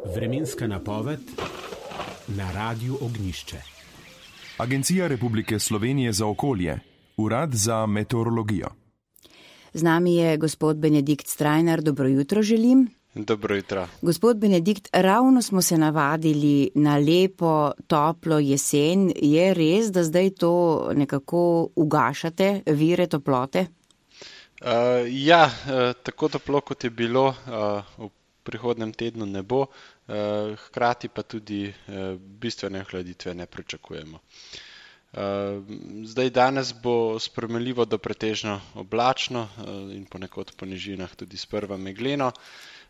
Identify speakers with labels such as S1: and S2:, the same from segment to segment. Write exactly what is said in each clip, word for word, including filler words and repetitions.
S1: Vremenska napoved na Radiu Ognjišče.
S2: Agencija Republike Slovenije za okolje, Urad za meteorologijo.
S3: Z nami je gospod Benedikt Strajnar, dobro jutro želim.
S4: Dobro jutro.
S3: Gospod Benedikt, ravno smo se navadili na lepo, toplo jesen. Je res, da zdaj to nekako ugašate, vire toplote?
S4: Uh, ja, uh, tako toplo, kot je bilo, uh, v prihodnem tednu ne bo, uh, hkrati pa tudi uh, bistvene hladitve ne pričakujemo. Uh, zdaj danes bo spremenljivo do pretežno oblačno uh, in ponekod po nižinah tudi sprva megleno.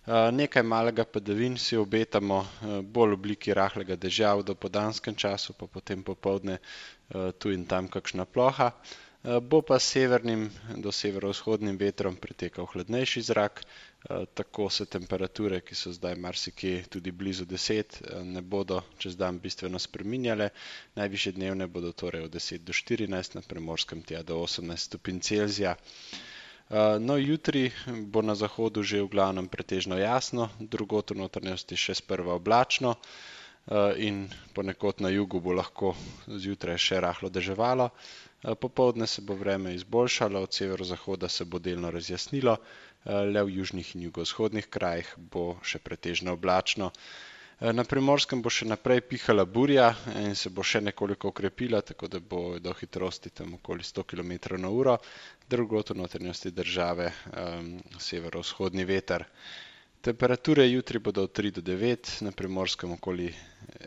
S4: Uh, nekaj malega padavin si obetamo, uh, bolj v obliki rahlega dežja v dopoldanskem času, pa potem popoldne uh, tu in tam kakšna ploha. Uh, bo pa s severnim do severovzhodnim vetrom pretekal hladnejši zrak, uh, tako se temperature, ki so zdaj marsikje tudi blizu deset, uh, ne bodo čez dan bistveno spreminjale. Najvišje dnevne bodo torej od deset do štirinajst, na Primorskem tja do osemnajst stopinj Celzija. No, jutri bo na zahodu že v glavnem pretežno jasno, drugod v notranjosti še sprva oblačno in ponekod na jugu bo lahko zjutraj še rahlo deževalo. Popoldne se bo vreme izboljšalo, od severozahoda se bo delno razjasnilo, le v južnih in jugovzhodnih krajih bo še pretežno oblačno. Na Primorskem bo še naprej pihala burja in se bo še nekoliko okrepila, tako da bo do hitrosti tam okoli sto kilometrov na uro, drugod v notranjosti države um, severovzhodni veter. Temperature jutri bodo od tri do devet, na Primorskem okoli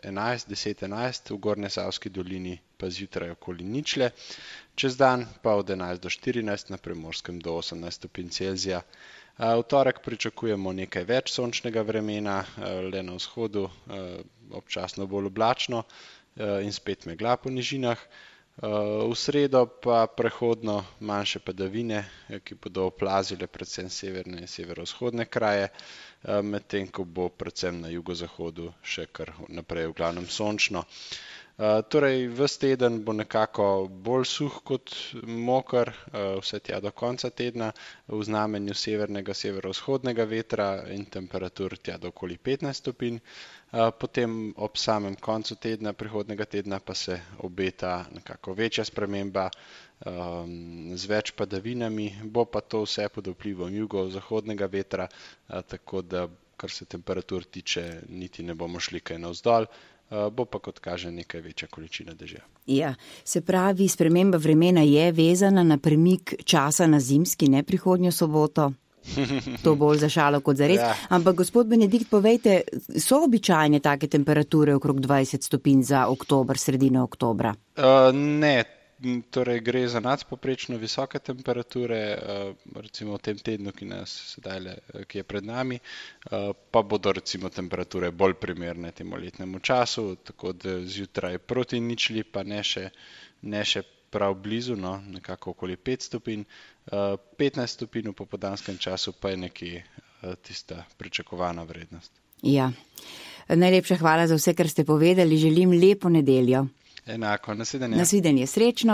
S4: enajst, deset enajst, v Gornjesavski dolini pa zjutraj okoli ničle, čez dan pa od enajst do štirinajst, na Primorskem do osemnajst stopinj Celzija. V torek pričakujemo nekaj več sončnega vremena, le na vzhodu občasno bolj oblačno in spet megla po nižinah. V sredo pa prehodno manjše padavine, ki bodo oplazile predvsem severne in severovzhodne kraje, medtem ko bo predvsem na jugozahodu še kar naprej v glavnem sončno. Uh, torej, ves teden bo nekako bolj suh kot moker, uh, vse tja do konca tedna, v znamenju severnega, severovzhodnega vetra in temperatur tja do okoli petnajst stopinj. Uh, potem ob samem koncu tedna, prihodnega tedna pa se obeta nekako večja sprememba um, z več padavinami, bo pa to vse pod vplivom jugozahodnega vetra, uh, tako da, kar se temperatur tiče, niti ne bomo šli kaj navzdol. Uh, bo pa, kot kaže, nekaj večja količina dežja.
S3: Ja, se pravi, sprememba vremena je vezana na premik časa na zimski, ne prihodnjo soboto. To bolj za šalo kot za res. Ja. Ampak, gospod Benedikt, povejte, so običajne take temperature okrog dvajset stopinj za oktober, sredino oktobra? Uh,
S4: ne. Torej gre za nadpoprečno visoke temperature, recimo v tem tednu, ki nas sedaj, ki je pred nami, pa bodo recimo temperature bolj primerne temu letnemu času, tako da zjutraj proti ničli, pa ne še, ne še prav blizu, no, nekako okoli pet stopinj, petnajst stopinj v popoldanskem času pa je nekje tista pričakovana vrednost.
S3: Ja, najlepša hvala za vse, kar ste povedali, želim lepo nedeljo.
S4: Enako, nasvidenje.
S3: Nasvidenje, srečno